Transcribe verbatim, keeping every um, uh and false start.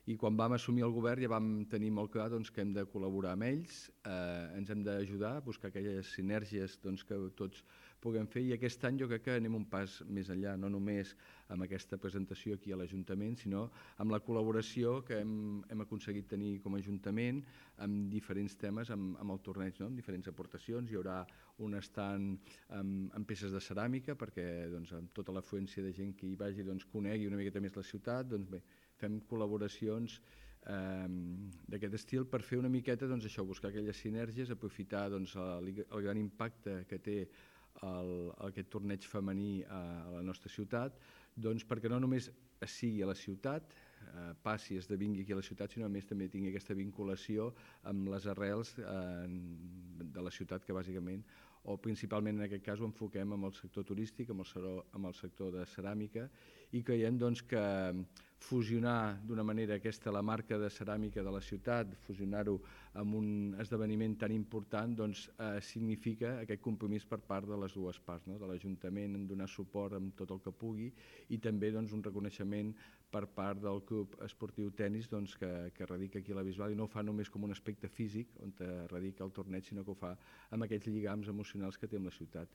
i quan vam assumir el govern ja vam tenir molt clar doncs, que hem de col·laborar amb ells, eh, ens hem d'ajudar a buscar aquelles sinergies doncs, que tots puguem fer, i aquest any jo crec que anem un pas més enllà, no només amb aquesta presentació aquí a l'Ajuntament, sinó amb la col·laboració que hem, hem aconseguit tenir com a Ajuntament amb diferents temes, amb, amb el torneig, no? Amb diferents aportacions. Hi haurà un estand amb, amb peces de ceràmica perquè doncs, amb tota l'afluència de gent que hi vagi doncs, conegui una miqueta més la ciutat. Doncs bé, fem col·laboracions eh, d'aquest estil per fer una miqueta doncs, això, buscar aquelles sinergies, aprofitar doncs, el, el gran impacte que té el, aquest torneig femení a, a la nostra ciutat, doncs, perquè no només sigui a la ciutat, eh, passi, esdevingui aquí a la ciutat, sinó a més també tingui aquesta vinculació amb les arrels eh, de la ciutat, que bàsicament, o principalment en aquest cas ho enfoquem amb el sector turístic, amb el, amb el sector de ceràmica, i creiem doncs, que fusionar d'una manera aquesta la marca de ceràmica de la ciutat, fusionar-ho amb un esdeveniment tan important, doncs, eh, significa aquest compromís per part de les dues parts, no? De l'Ajuntament en donar suport amb tot el que pugui, i també doncs, un reconeixement per part del Club Esportiu Tenis doncs, que, que radica aquí a la Bisbal, i no ho fa només com un aspecte físic on radica el torneig, sinó que ho fa amb aquests lligams emocionals que té amb la ciutat.